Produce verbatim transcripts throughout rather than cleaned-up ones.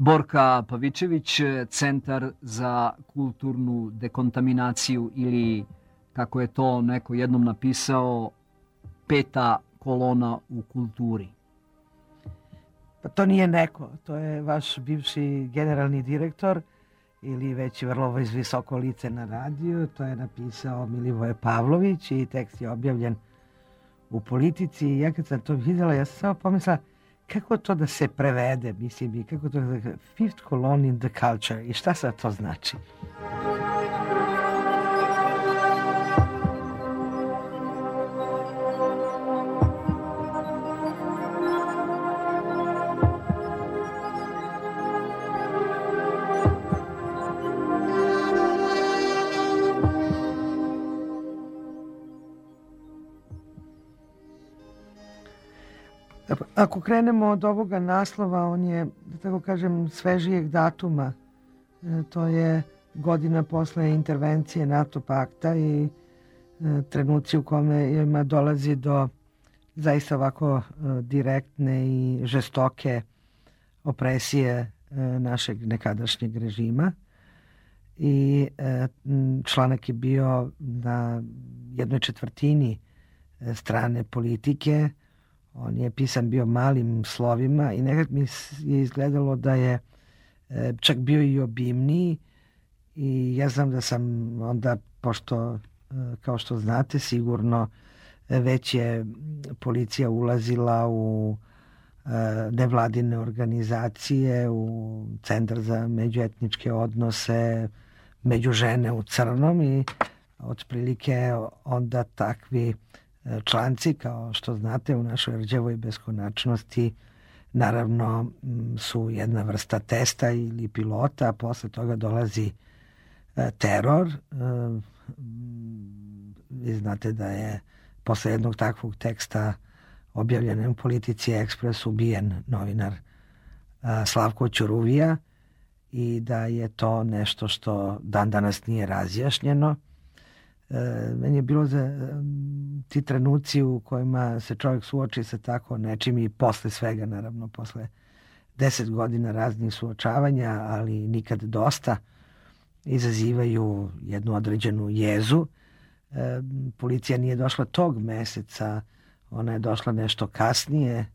Borka Pavičević, Centar za kulturnu dekontaminaciju ili, kako je to neko jednom napisao, peta kolona u kulturi. Pa to nije neko, to je vaš bivši generalni direktor ili već vrlo visoko lice na radiju. To je napisao Milivoje Pavlović i tekst je objavljen u Politici. I ja kad sam to vidjela, ja sam samo pomislila kako to da se prevede, mislim, i kako to da fifth column in the culture i šta sad to znači? Ako krenemo od ovoga naslova, on je, da tako kažem, svežijeg datuma. E, to je godina posle intervencije NATO pakta i e, trenuci u kome dolazi do zaista ovako e, direktne i žestoke opresije e, našeg nekadašnjeg režima. I e, članak je bio na jednoj četvrtini strane Politike. On je pisan bio malim slovima i nekad mi je izgledalo da je e, čak bio i obimniji i ja znam da sam onda, pošto e, kao što znate sigurno već je policija ulazila u e, nevladine organizacije, u Centar za međuetničke odnose, među žene u crnom i otprilike onda takvi članci, kao što znate, u našoj rđevoj beskonačnosti naravno su jedna vrsta testa ili pilota, a posle toga dolazi teror. Vi znate da je posle jednog takvog teksta objavljen u Politici Ekspres ubijen novinar Slavko Ćuruvija i da je to nešto što dan danas nije razjašnjeno. Meni je bilo za ti trenuci u kojima se čovjek suoči sa tako nečim i posle svega, naravno, posle deset godina raznih suočavanja, ali nikad dosta, izazivaju jednu određenu jezu. E, policija nije došla tog meseca, ona je došla nešto kasnije.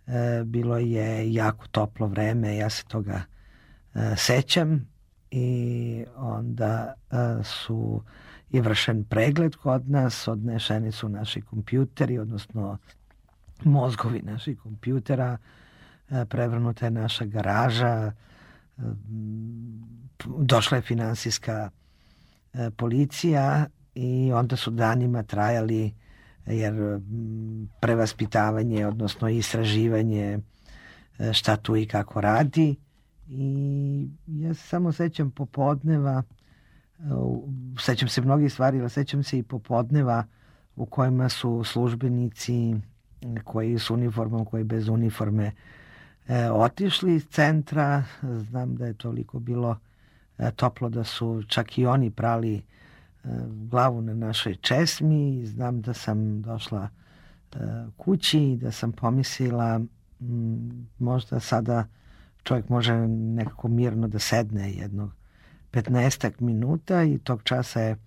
E, bilo je jako toplo vreme, ja se toga e, sećam i onda e, su je vršen pregled kod nas, odnešeni su naši kompjuteri, odnosno mozgovi naših kompjutera, prevrnuta je naša garaža, došla je finansijska policija i onda su danima trajali, jer prevaspitavanje, odnosno istraživanje šta tu i kako radi. I ja se samo sećam popodneva, sećam se mnogih stvari, ali sećam se i popodneva u kojima su službenici koji s uniformom, koji bez uniforme e, otišli iz centra. Znam da je toliko bilo e, toplo da su čak i oni prali e, glavu na našoj česmi. Znam da sam došla e, kući i da sam pomislila m, možda sada čovjek može nekako mirno da sedne jednog petnaestak minuta i tog časa je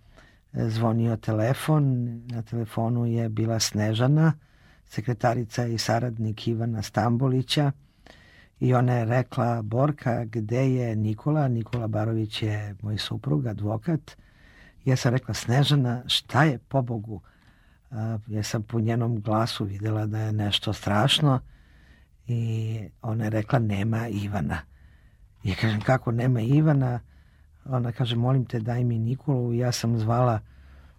zvonio telefon. Na telefonu je bila Snežana, sekretarica i saradnik Ivana Stambolića i ona je rekla: Borka, gde je Nikola? Nikola Barović je moj suprug, advokat. Ja sam rekla: Snežana, šta je, pobogu? Ja sam po njenom glasu videla da je nešto strašno i ona je rekla: nema Ivana. Ja kažem: kako nema Ivana? Ona kaže: molim te, daj mi Nikolu. Ja sam zvala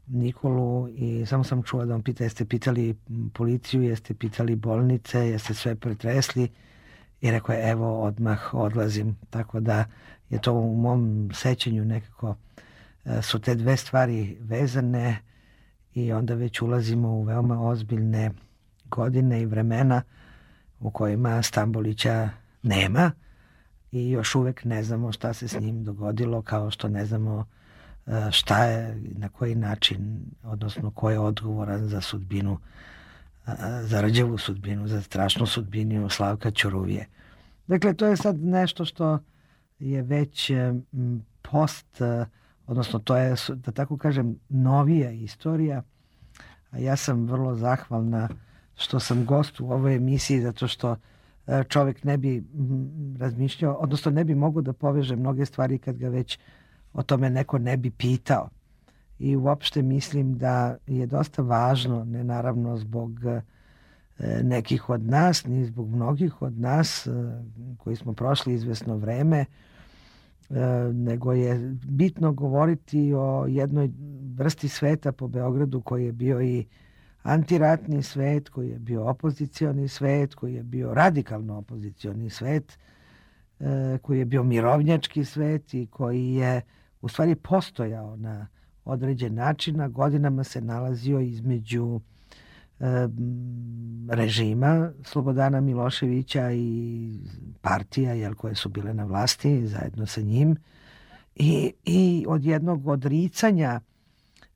Nikolu i samo sam čula da on pita: jeste pitali policiju, jeste pitali bolnice, jeste sve pretresli? I rekao je: evo, odmah odlazim. Tako da je to u mom sećanju nekako su te dve stvari vezane i onda već ulazimo u veoma ozbiljne godine i vremena u kojima Stambolića nema i još uvek ne znamo šta se s njim dogodilo, kao što ne znamo šta je, na koji način, odnosno ko je odgovoran za sudbinu, za rđevu sudbinu, za strašnu sudbinu Slavka Ćuruvije. Dakle, to je sad nešto što je već post, odnosno to je, da tako kažem, novija istorija. A ja sam vrlo zahvalna što sam gost u ovoj emisiji, zato što čovjek ne bi razmišljao, odnosno ne bi mogao da poveže mnoge stvari kad ga već o tome neko ne bi pitao. I uopšte mislim da je dosta važno, ne naravno zbog nekih od nas, ni zbog mnogih od nas koji smo prošli izvesno vreme, nego je bitno govoriti o jednoj vrsti sveta po Beogradu koji je bio i antiratni svet, koji je bio opozicioni svet, koji je bio radikalno opozicioni svet, koji je bio mirovnjački svet i koji je u stvari postojao na određen način, a godinama se nalazio između režima Slobodana Miloševića i partija jel, koje su bile na vlasti zajedno sa njim i, i od jednog odricanja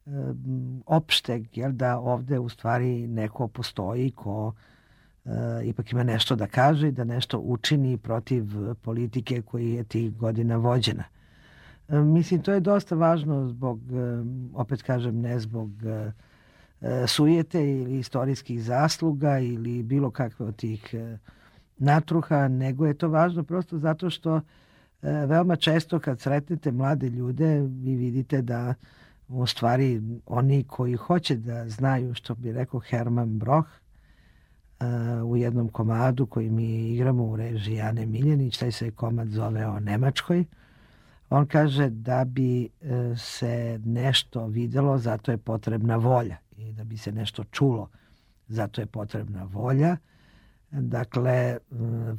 um, opšteg jel, da ovde u stvari neko postoji ko uh, ipak ima nešto da kaže i da nešto učini protiv politike koji je tih godina vođena. Um, mislim, to je dosta važno zbog, um, opet kažem, ne zbog uh, sujete ili istorijskih zasluga ili bilo kakve od tih natruha, nego je to važno prosto zato što veoma često kad sretnete mlade ljude vi vidite da u stvari oni koji hoće da znaju, što bi rekao Herman Broch u jednom komadu koji mi igramo u režiji Ane Miljanić, taj se komad zove o Nemačkoj, on kaže da bi se nešto videlo, zato je potrebna volja. I da bi se nešto čulo, zato je potrebna volja. Dakle,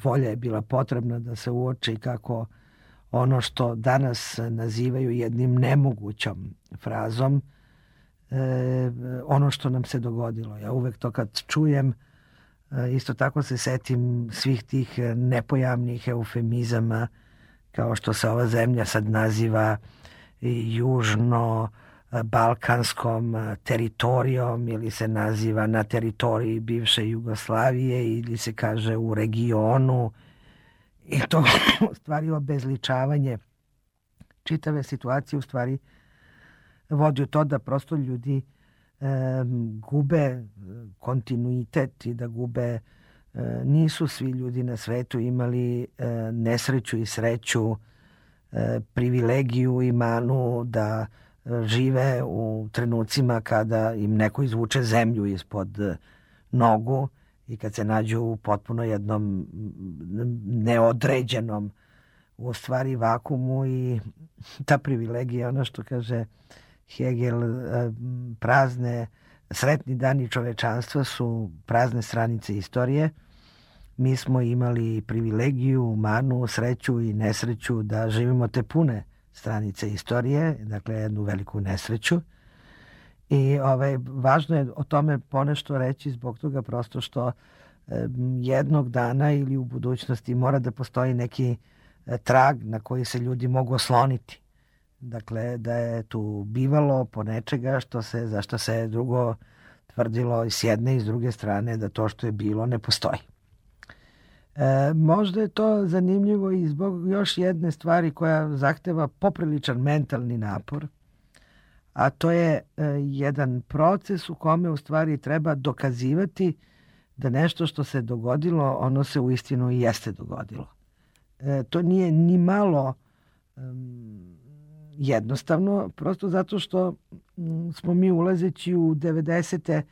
volja je bila potrebna da se uoči kako ono što danas nazivaju jednim nemogućom frazom, ono što nam se dogodilo. Ja uvek to kad čujem, isto tako se setim svih tih nepojamnih eufemizama, kao što se ova zemlja sad naziva južno balkanskom teritorijom ili se naziva na teritoriji bivše Jugoslavije ili se kaže u regionu i to u stvari obezličavanje čitave situacije u stvari vodi u to da prosto ljudi e, gube kontinuitet i da gube, e, nisu svi ljudi na svetu imali e, nesreću i sreću, e, privilegiju i manu da žive u trenucima kada im neko izvuče zemlju ispod nogu i kad se nađu u potpuno jednom neodređenom u stvari vakumu i ta privilegija, ono što kaže Hegel, prazne, sretni dani čovečanstva su prazne stranice istorije. Mi smo imali privilegiju, manu, sreću i nesreću da živimo te pune stranice istorije, dakle jednu veliku nesreću. I ovaj, važno je o tome ponešto reći zbog toga prosto što e, jednog dana ili u budućnosti mora da postoji neki e, trag na koji se ljudi mogu osloniti. Dakle, da je tu bivalo po nečega što se, za što se drugo tvrdilo i s jedne i s druge strane da to što je bilo ne postoji. E, možda je to zanimljivo i zbog još jedne stvari koja zahteva popriličan mentalni napor, a to je e, jedan proces u kome u stvari treba dokazivati da nešto što se dogodilo, ono se uistinu i jeste dogodilo. E, to nije ni malo um, jednostavno, prosto zato što um, smo mi ulazeći u devedesete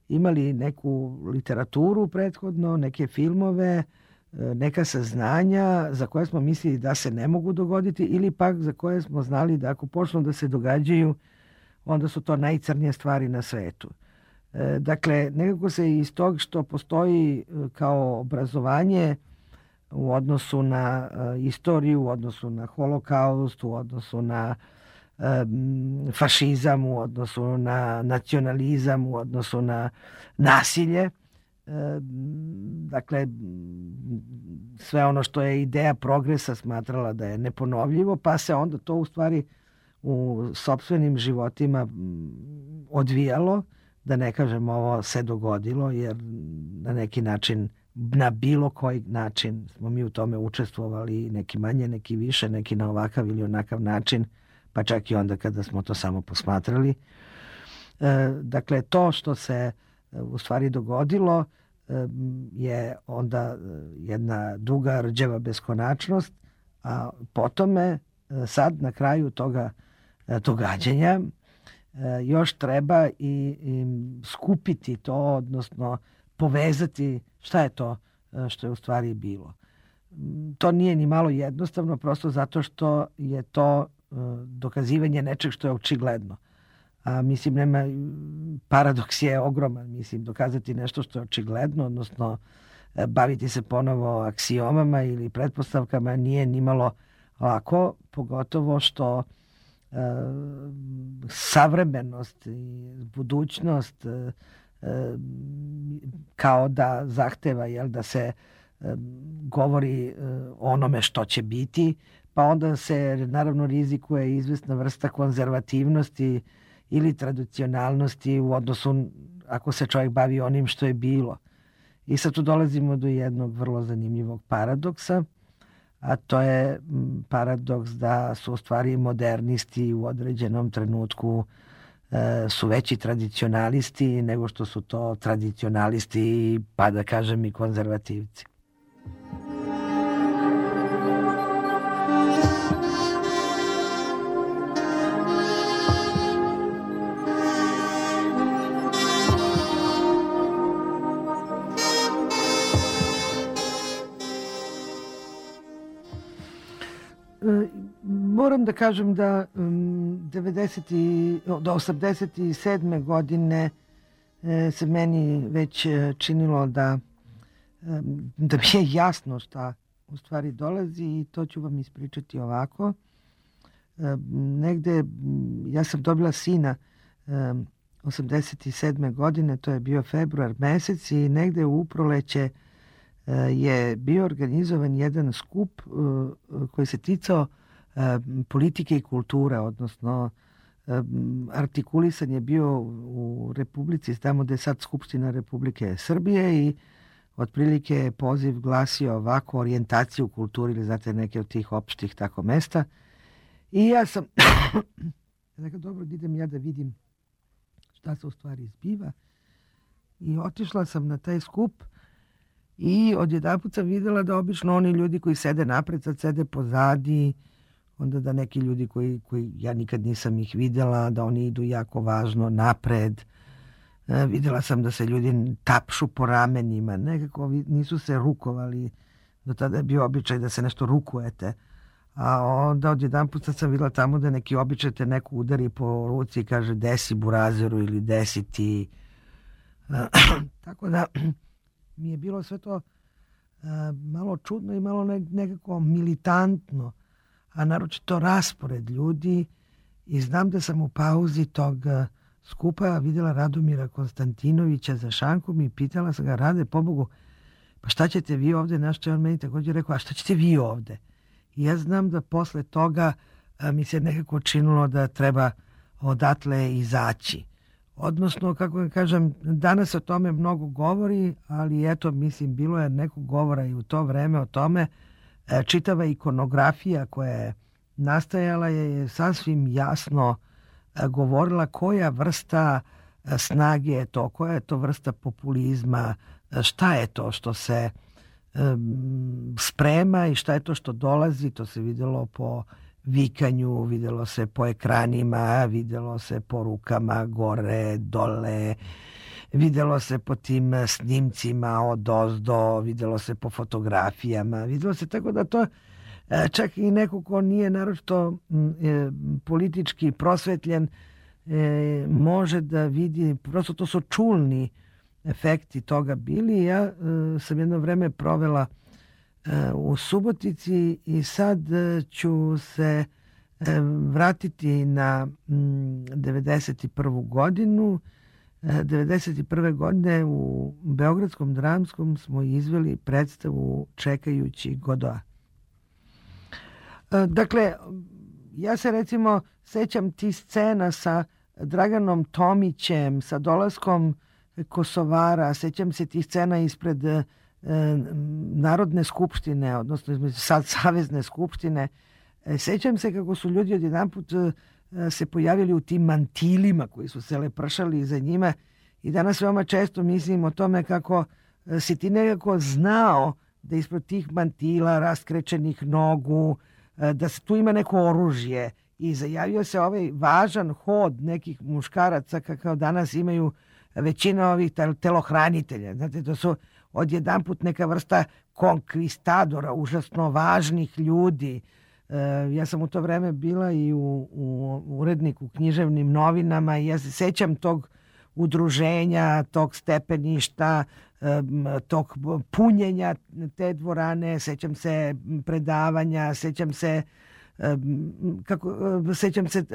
imali neku literaturu prethodno, neke filmove, neka saznanja za koje smo mislili da se ne mogu dogoditi ili pak za koje smo znali da ako počnu da se događaju, onda su to najcrnije stvari na svetu. E, dakle, nekako se iz tog što postoji kao obrazovanje u odnosu na uh, istoriju, u odnosu na holokaust, u odnosu na um, fašizam, u odnosu na nacionalizam, u odnosu na nasilje, dakle sve ono što je ideja progresa smatrala da je neponovljivo, pa se onda to u stvari u sopstvenim životima odvijalo, da ne kažem ovo se dogodilo, jer na neki način na bilo koji način smo mi u tome učestvovali, neki manje, neki više, neki na ovakav ili onakav način, pa čak i onda kada smo to samo posmatrali. E, dakle, to što se u stvari dogodilo e, je onda jedna duga rđeva beskonačnost, a potome sad na kraju toga događanja još treba i, i skupiti to, odnosno povezati šta je to što je u stvari bilo. To nije ni malo jednostavno, prosto zato što je to dokazivanje nečeg što je očigledno. A mislim, nema, paradoks je ogroman, mislim, dokazati nešto što je očigledno, odnosno baviti se ponovo aksiomama ili pretpostavkama nije ni malo lako, pogotovo što e, savremenost i budućnost e, kao da zahteva, jel, da se e, govori e, o onome što će biti, pa onda se naravno rizikuje izvesna vrsta konzervativnosti ili tradicionalnosti u odnosu ako se čovjek bavi onim što je bilo. I sad tu dolazimo do jednog vrlo zanimljivog paradoksa, a to je paradoks da su u stvari modernisti u određenom trenutku e, su veći tradicionalisti nego što su to tradicionalisti, pa da kažem i konzervativci. Moram da kažem da um, devedeset do osamdeset sedme godine e, se meni već činilo da, um, da mi je jasno šta u stvari dolazi i to ću vam ispričati ovako. Um, negde, ja sam dobila sina um, osamdeset sedme godine, to je bio februar mesec i negde u proleće uh, je bio organizovan jedan skup uh, koji se ticao politike i kulture, odnosno artikulisan je bio u Republici, tamo gde je sad Skupština Republike Srbije i otprilike je poziv glasio ovako, orijentaciju u kulturi ili znate neke od tih opštih tako mesta. I ja sam rekao, dobro, idem ja da vidim šta se u stvari zbiva i otišla sam na taj skup i odjedanput sam videla da obično oni ljudi koji sede napred sad sede pozadi, onda da neki ljudi koji, koji ja nikad nisam ih videla, da oni idu jako važno napred. E, videla sam da se ljudi tapšu po ramenima, nekako nisu se rukovali. Do tada je bio običaj da se nešto rukujete. A onda odjedanput sad sam videla tamo da neki običaj te neko udari po ruci i kaže desi burazeru ili desi ti. E, tako da mi je bilo sve to e, malo čudno i malo nekako militantno, a naročito raspored ljudi i znam da sam u pauzi tog skupa vidjela Radomira Konstantinovića za šankom i pitala sam ga, Rade, pobogu, pa šta ćete vi ovde? Naš će on meni također rekao, a šta ćete vi ovde? I ja znam da posle toga a, mi se nekako činilo da treba odatle izaći. Odnosno, kako ga kažem, danas o tome mnogo govori, ali eto, mislim, bilo je nekog govora i u to vreme o tome. Čitava ikonografija koja je nastajala je sasvim jasno govorila koja vrsta snage je to, koja je to vrsta populizma, šta je to što se um, sprema i šta je to što dolazi. To se vidjelo po vikanju, vidjelo se po ekranima, vidjelo se po rukama gore, dole, vidjelo se po tim snimcima od ozdo, vidjelo se po fotografijama, vidjelo se tako da to čak i neko ko nije naročito e, politički prosvetljen e, može da vidi, prosto to su čulni efekti toga bili. Ja e, sam jedno vreme provela e, u Subotici i sad ću se e, vratiti na m, devedeset prvu godinu. devedeset prve godine u Beogradskom dramskom smo izveli predstavu Čekajući Godoa. Dakle, ja se recimo sećam ti scena sa Draganom Tomićem, sa dolaskom Kosovara, sećam se tih scena ispred Narodne skupštine, odnosno između sad Savezne skupštine. Sećam se kako su ljudi odjedanput se pojavili u tim mantilima koji su se lepršali za njima i danas veoma često mislim o tome kako si ti nekako znao da ispred tih mantila raskrečenih nogu, da se tu ima neko oružje i zajavio se ovaj važan hod nekih muškaraca kako danas imaju većina ovih telohranitelja. Znate, to su odjedanput neka vrsta konkvistadora, užasno važnih ljudi. E, ja sam u to vreme bila i u, u uredniku u književnim novinama i ja se sećam tog udruženja, tog stepeništa, tog punjenja te dvorane, sećam se predavanja, sećam se kako, sećam se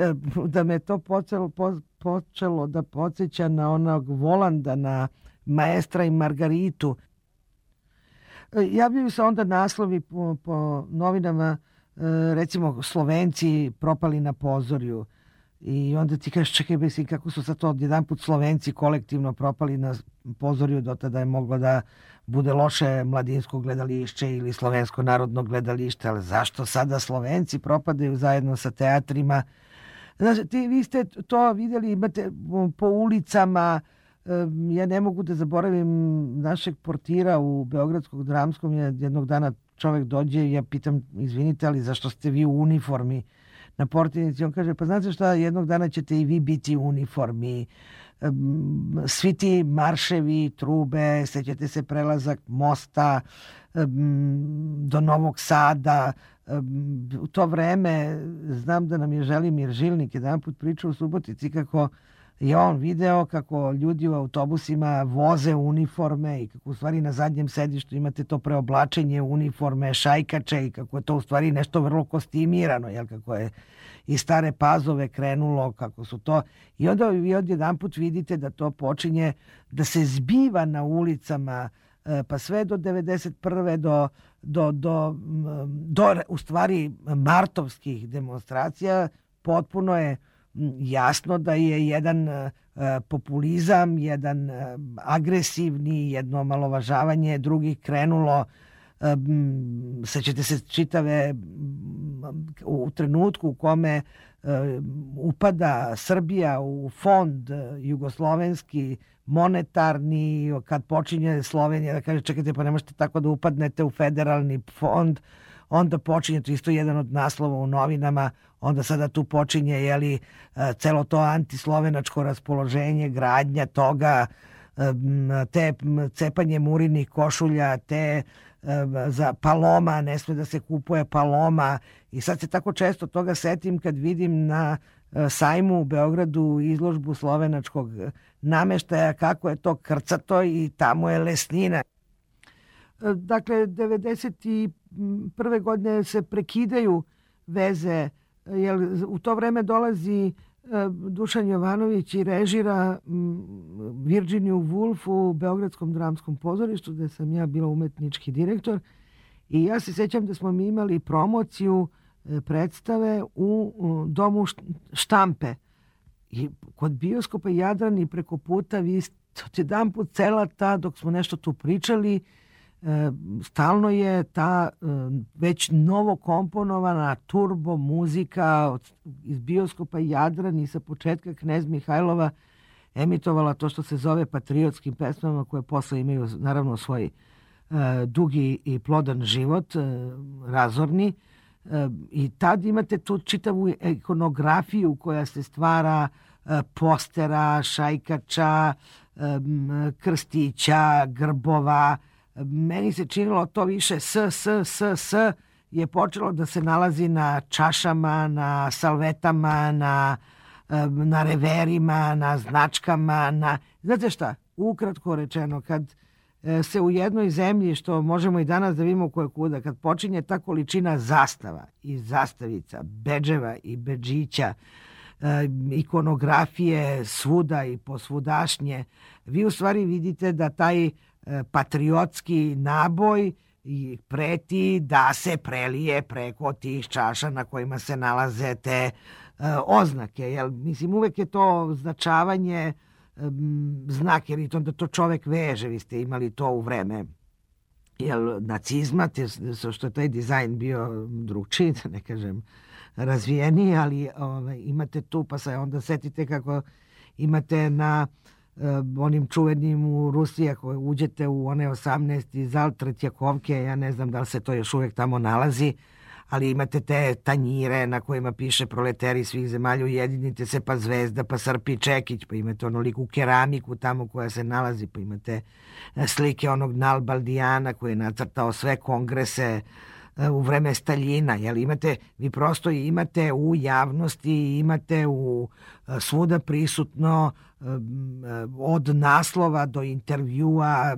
da me to počelo, počelo da podsjeća na onog Volanda, na Maestra i Margaritu. Javljaju se onda naslovi po, po novinama, recimo Slovenci propali na pozorju. I onda ti kažeš, čekaj, mislim, kako su sad to odjedanput Slovenci kolektivno propali na pozorju, do tada je moglo da bude loše mladinsko gledališće ili slovensko narodno gledalište, ali zašto sada Slovenci propadaju zajedno sa teatrima? Znači, ti, vi ste to vidjeli, imate po ulicama, ja ne mogu da zaboravim našeg portira u Beogradskog dramskom, jednog dana čovjek dođe i ja pitam, izvinite, ali zašto ste vi u uniformi na portirnici? On kaže, pa znate šta, jednog dana ćete i vi biti u uniformi. Svi ti marševi, trube, sećate se prelazak mosta do Novog Sada. U to vreme znam da nam je Želimir Žilnik jedan put pričao u Subotici kako je on video kako ljudi u autobusima voze uniforme i kako u stvari na zadnjem sedištu imate to preoblačenje uniforme, šajkače i kako je to u stvari nešto vrlo kostimirano, jel, kako je i Stare Pazove krenulo, kako su to. I onda vi odjedan put vidite da to počinje da se zbiva na ulicama, pa sve do devedeset prve do, do, do, do u stvari martovskih demonstracija potpuno je jasno da je jedan populizam, jedan agresivni, jedno omalovažavanje drugih krenulo. Sećate se čitave u trenutku u kome upada Srbija u fond jugoslovenski monetarni, kad počinje Slovenija da kaže čekajte, pa ne možete tako da upadnete u federalni fond, onda počinje, to isto jedan od naslova u novinama, onda sada tu počinje, jeli, celo to antislovenačko raspoloženje, gradnja toga, te cepanje murinih košulja, te za Paloma, ne sme da se kupuje Paloma. I sad se tako često toga setim kad vidim na sajmu u Beogradu izložbu slovenačkog nameštaja, kako je to krcato i tamo je lesnina. Dakle, devedeset prve godine se prekidaju veze, jer u to vreme dolazi Dušan Jovanović i režira Virginiju Woolf u Beogradskom dramskom pozorištu, gde sam ja bila umetnički direktor. I ja se sećam da smo mi imali promociju predstave u domu Štampe. I kod bioskopa Jadran i preko puta vi jedan put cela ta, dok smo nešto tu pričali, stalno je ta već novo komponovana turbo muzika iz bioskopa Jadran i sa početka Knez Mihajlova emitovala to što se zove patriotskim pesmama, koje posle imaju naravno svoj dugi i plodan život, razorni. I tad imate tu čitavu ikonografiju koja se stvara, postera, šajkača, krstića, grbova. Meni se činilo to više s, s, s, s je počelo da se nalazi na čašama, na salvetama, na, na reverima, na značkama. Na... Znate šta? Ukratko rečeno, kad se u jednoj zemlji, što možemo i danas da vidimo koje kuda, kad počinje ta količina zastava i zastavica, bedževa i bedžića, ikonografije svuda i posvudašnje, vi u stvari vidite da taj patriotski naboj i preti da se prelije preko tih čaša na kojima se nalaze te uh, oznake. Jel, mislim, uvek je to značavanje um, znak, jer i to, da to čovek veže. Vi ste imali to u vreme jel, nacizma, te, što je taj dizajn bio drugčiji, da ne kažem razvijeniji, ali ove, imate tu, pa se onda setite kako imate na uh, onim čuvenim u Rusiji, ako uđete u one osamnaesti zal Tretjakovke, ja ne znam da li se to još uvek tamo nalazi, ali imate te tanjire na kojima piše proleteri svih zemalja, ujedinite se, pa Zvezda, pa Srpi Čekić, pa imate onoliku keramiku tamo koja se nalazi, pa imate slike onog Nalbaldijana koji je nacrtao sve kongrese u vreme Staljina, jel imate, vi prosto imate u javnosti, imate u svuda prisutno od naslova do intervjua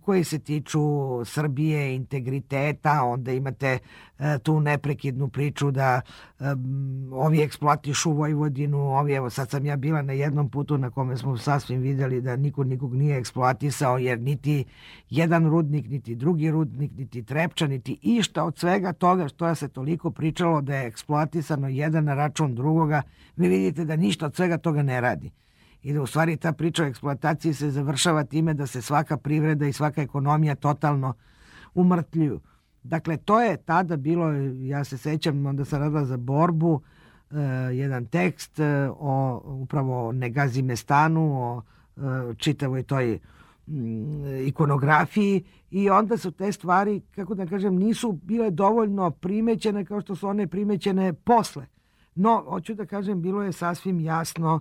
koji se tiču Srbije, integriteta, onda imate e, tu neprekidnu priču da e, ovi eksploatišu Vojvodinu, ovi, evo sad sam ja bila na jednom putu na kome smo sasvim vidjeli da niko nikog nije eksploatisao, jer niti jedan rudnik, niti drugi rudnik, niti Trepča, niti išta od svega toga što je se toliko pričalo da je eksploatisano jedan na račun drugoga, vi vidite da ništa od svega toga ne radi. I da u stvari ta priča o eksploataciji se završava time da se svaka privreda i svaka ekonomija totalno umrtljuju. Dakle, to je tada bilo, ja se sećam, onda sam radila za Borbu, eh, jedan tekst eh, o upravo Negazimestanu, o eh, čitavoj toj mm, ikonografiji, i onda su te stvari, kako da kažem, nisu bile dovoljno primećene kao što su one primećene posle. No, hoću da kažem, bilo je sasvim jasno,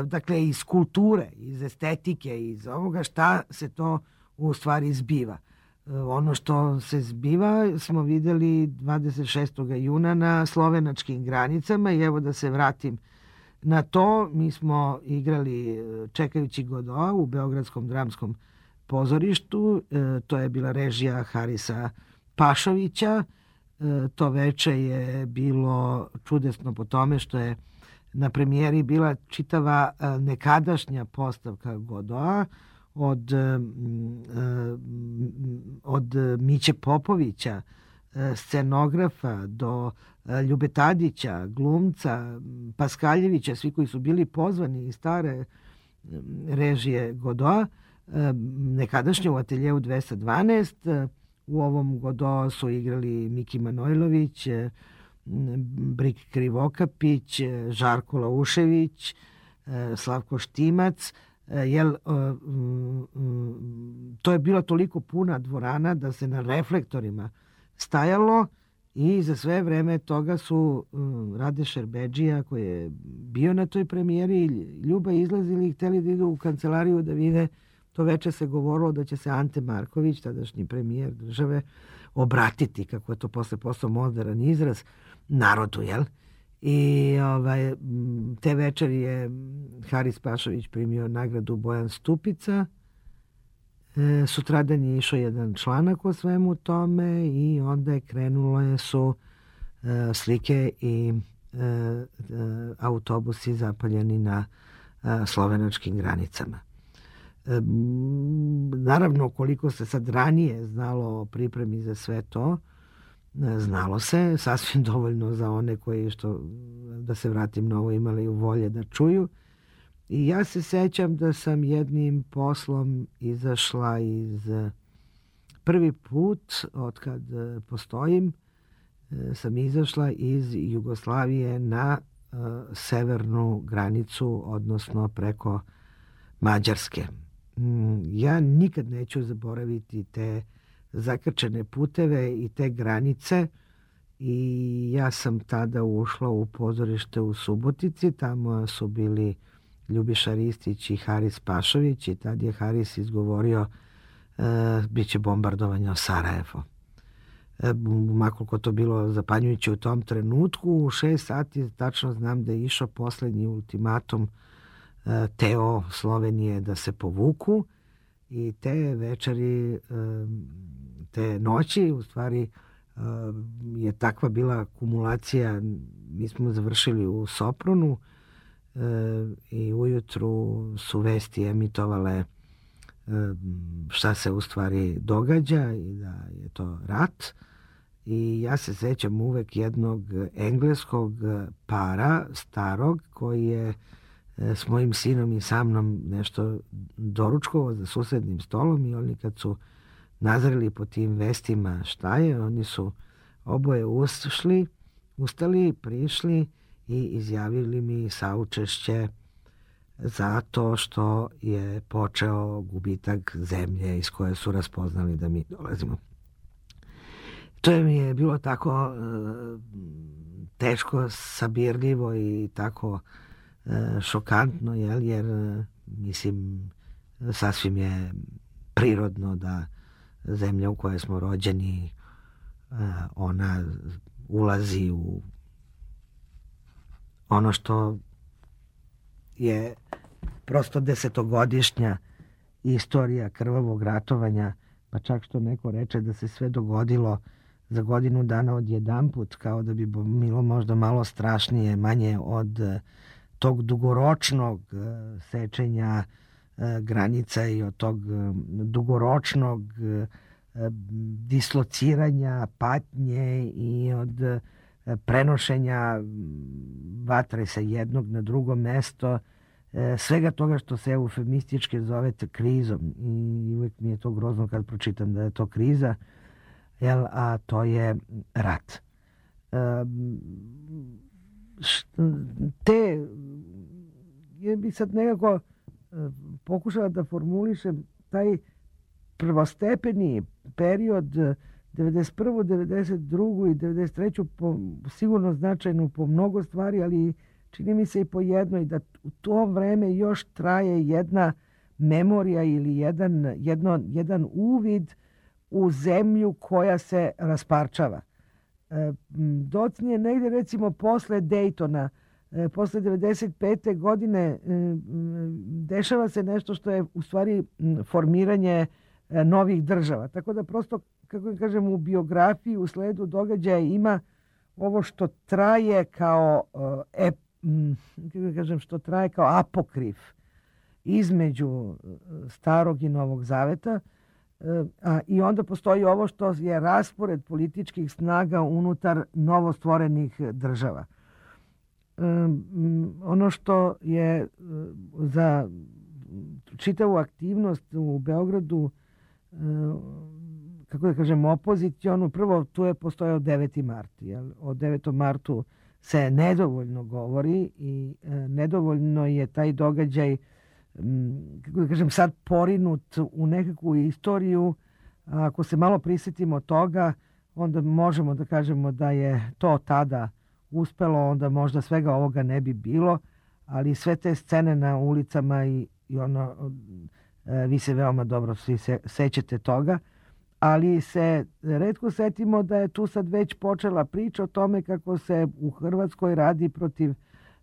dakle, iz kulture, iz estetike, iz ovoga šta se to u stvari zbiva. Ono što se zbiva smo videli dvadeset šestog juna na slovenačkim granicama, i evo da se vratim na to, mi smo igrali Čekajući Godoa u Beogradskom dramskom pozorištu, to je bila režija Harisa Pašovića, to veče je bilo čudesno po tome što je na premijeri bila čitava nekadašnja postavka Godoa od, od Miće Popovića, scenografa, do Ljube Tadića, glumca, Paskaljevića, svi koji su bili pozvani iz stare režije Godoa, nekadašnje u ateljeu dvesta dvanaest. U ovom Godoa su igrali Miki Manojlović, Brik Krivokapić, Žarko Laušević, Slavko Štimac, jel, to je bila toliko puna dvorana da se na reflektorima stajalo, i za sve vreme toga su Rade Šerbedžija, koji je bio na toj premijeri, Ljuba izlazili i hteli da idu u kancelariju da vide. To veče se govorilo da će se Ante Marković, tadašnji premijer države, obratiti, kako je to posle postao moderan izraz, narodu, jel? I ovaj, te večeri je Haris Pašović primio nagradu Bojan Stupica. E, sutradan je išao jedan članak o svemu tome, i onda je krenulo su e, slike i e, e, autobusi zapaljeni na e, slovenačkim granicama. E, naravno, koliko se sad ranije znalo o pripremi za sve to, znalo se sasvim dovoljno za one koji, što, da se vratim na ovo, imali volje da čuju. I ja se sećam da sam jednim poslom izašla iz, prvi put od kad postojim, sam izašla iz Jugoslavije na uh, severnu granicu, odnosno preko Mađarske. Ja nikad neću zaboraviti te zakrčene puteve i te granice, i ja sam tada ušla u pozorište u Subotici, tamo su bili Ljubiša Ristić i Haris Pašović, i tad je Haris izgovorio e, bit će bombardovanje o Sarajevo. E, makoliko to bilo zapanjujuće u tom trenutku, u šest sati tačno znam da je išao poslednji ultimatum e, Teo Slovenije da se povuku, i te večeri, e, te noći, u stvari e, je takva bila kumulacija. Mi smo završili u Sopronu, e, i ujutru su vesti emitovale e, šta se u stvari događa i da je to rat. I ja se sećam uvek jednog engleskog para, starog, koji je s mojim sinom i sa mnom nešto doručkovao za susednim stolom, i oni kad su nazreli po tim vestima šta je, oni su oboje ušli, ustali, prišli i izjavili mi saučešće zato što je počeo gubitak zemlje iz koje su raspoznali da mi dolazimo. To je mi je bilo tako e, teško sabirljivo i tako e, šokantno, jel, jer mislim sasvim je prirodno da zemlja u kojoj smo rođeni e, ona ulazi u ono što je prosto desetogodišnja istorija krvavog ratovanja, pa čak što neko reče da se sve dogodilo za godinu dana odjedanput, kao da bi bilo možda malo strašnije, manje od tog dugoročnog sečenja granica i od tog dugoročnog dislociranja patnje i od prenošenja vatre sa jednog na drugo mesto, svega toga što se eufemistički zove krizom. I uvijek mi je to grozno kad pročitam da je to kriza, jel, a to je rat. Te, ja bi sad nekako pokušala da formulišem taj prvostepeni period devedeset prvu, devedeset drugu i devedeset treću po, sigurno značajnu po mnogo stvari, ali čini mi se i po jednoj, da u to vreme još traje jedna memorija ili jedan, jedno, jedan uvid u zemlju koja se rasparčava. E, docnije negdje recimo posle Daytona, e, posle devedeset pete godine e, dešava se nešto što je u stvari formiranje e, novih država. Tako da prosto, kako kažem, u biografiji, u sledu događaja ima ovo što traje kao e, kako kažem, što traje kao apokrif između Starog i Novog Zaveta, a, i onda postoji ovo što je raspored političkih snaga unutar novostvorenih država. E, ono što je za čitavu aktivnost u Beogradu, e, kako da kažem, opozicionu, prvo tu je postojao deveti mart. Jel? O devetom martu se nedovoljno govori i e, nedovoljno je taj događaj, m, kako da kažem, sad porinut u nekakvu istoriju. A ako se malo prisjetimo toga, onda možemo da kažemo da je to tada uspelo, onda možda svega ovoga ne bi bilo, ali sve te scene na ulicama i, i ono, e, vi se veoma dobro svi se, sećate toga, ali se retko setimo da je tu sad već počela priča o tome kako se u Hrvatskoj radi protiv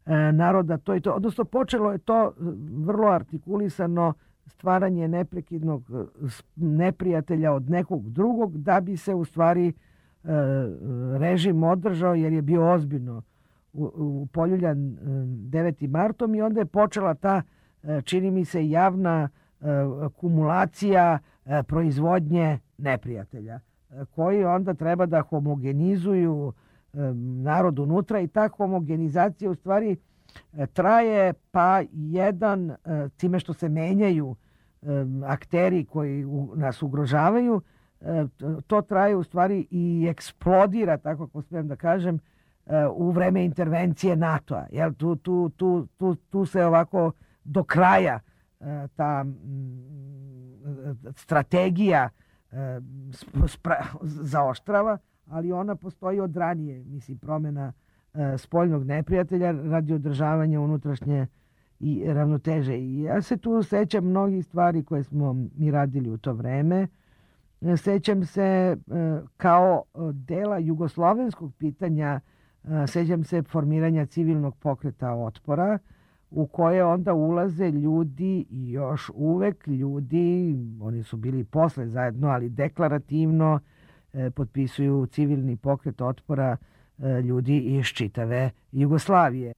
e, naroda to i to. Odnosno počelo je to vrlo artikulisano stvaranje neprekidnog neprijatelja od nekog drugog da bi se u stvari e, režim održao, jer je bio ozbiljno upoljuljan devetim martom i onda je počela ta, čini mi se, javna kumulacija proizvodnje neprijatelja, koji onda treba da homogenizuju narod unutra, i ta homogenizacija u stvari traje, pa jedan, time što se menjaju akteri koji nas ugrožavaju, to traje u stvari i eksplodira, tako ako smijem da kažem, u vreme intervencije NATO-a. Jel, tu, tu, tu, tu, tu se ovako do kraja ta strategija spra, zaoštrava, ali ona postoji od ranije, mislim, promjena spoljnog neprijatelja radi održavanja unutrašnje i ravnoteže. I ja se tu sećam mnogih stvari koje smo mi radili u to vreme. Sećam se kao dela jugoslovenskog pitanja, sećam se formiranja civilnog pokreta otpora, u koje onda ulaze ljudi i još uvek ljudi, oni su bili posle zajedno, ali deklarativno e, potpisuju civilni pokret otpora e, ljudi iz čitave Jugoslavije.